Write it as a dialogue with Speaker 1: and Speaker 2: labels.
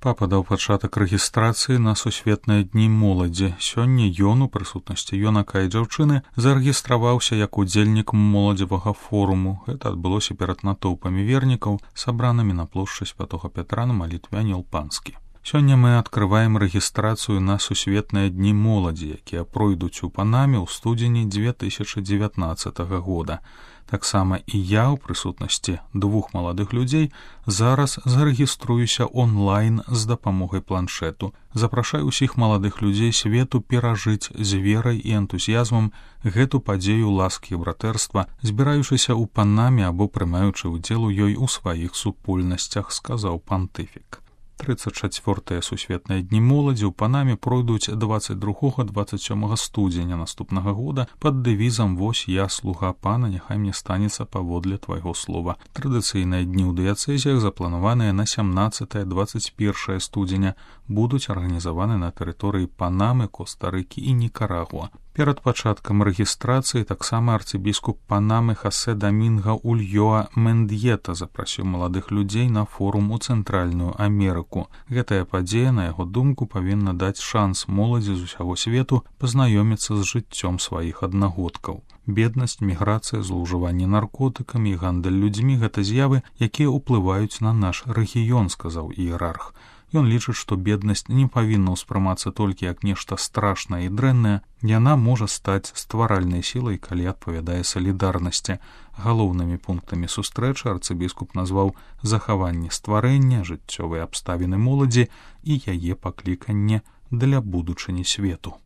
Speaker 1: Папа даў пачатак рэгістрацыі на сусветныя дні моладзі. Сёння ён у прысутнасці юнака і дзяўчыны зарэгістраваўся як удзельнік моладзевага форуму. Гэта адбылося перад натоўпамі вернікаў, сабранымі на плошчы Святога Пятра на малітве Анёл-Панскі. Сёння мы адкрываем рэгістрацыю на сусветныя дні моладзі, якія пройдуць у Панаме ў студзені 2019 года. Таксама і я ў прысутнасці двух маладых людзей зараз зарэгіструюся онлайн з дапамогай планшэту. Запрашаю ўсіх маладых людзей свету перажыць з верай і энтузіязмам гэту падзею ласкі і братэрства, збіраючыся ў Панаме або прымаючы ўдзел у ёй у сваіх супольнасцях, сказаў пантыфік. 34-е сусветныя дні моладзі ў Панаме пройдуць 22-27 студзеня наступнага года пад дэвізам «Вось я, слуга пана, няхай мне станецца паводле твайго слова». Традыцыйныя дні ў дыяцэзіях, запланаваныя на 17-21 студзеня, будуць арганізаваны на тэрыторыі Панамы, Коста-Рыкі і Нікарагуа. Перад пачаткам рэгістрацыі таксама арцыбіскуп Панамы Хосе Дамінга Ульёа Мендьета запрасіў маладых людзей на форум у Цэнтральную Амерыку. Гэтая падзея, на яго думку, павінна даць шанс моладзі з усяго свету пазнаёміцца з жыццём сваіх аднагодкаў. Беднасць, міграцыя, злоўжыванне наркотыкамі і гандаль людзьмі — гэта з'явы, якія ўплываюць на наш рэгіён, сказаў іерарх. Ён лічыць, што беднасць не павінна ўспрымацца толькі як нешта страшнае і дрэннае. Яна можа стаць стваральнай сілай, калі адпавядае салідарнасці. Галоўнымі пунктамі сустрэчы арцыбіскуп назваў захаванне стварэння, жыццёвыя абставіны моладзі і яе пакліканне для будучыні свету.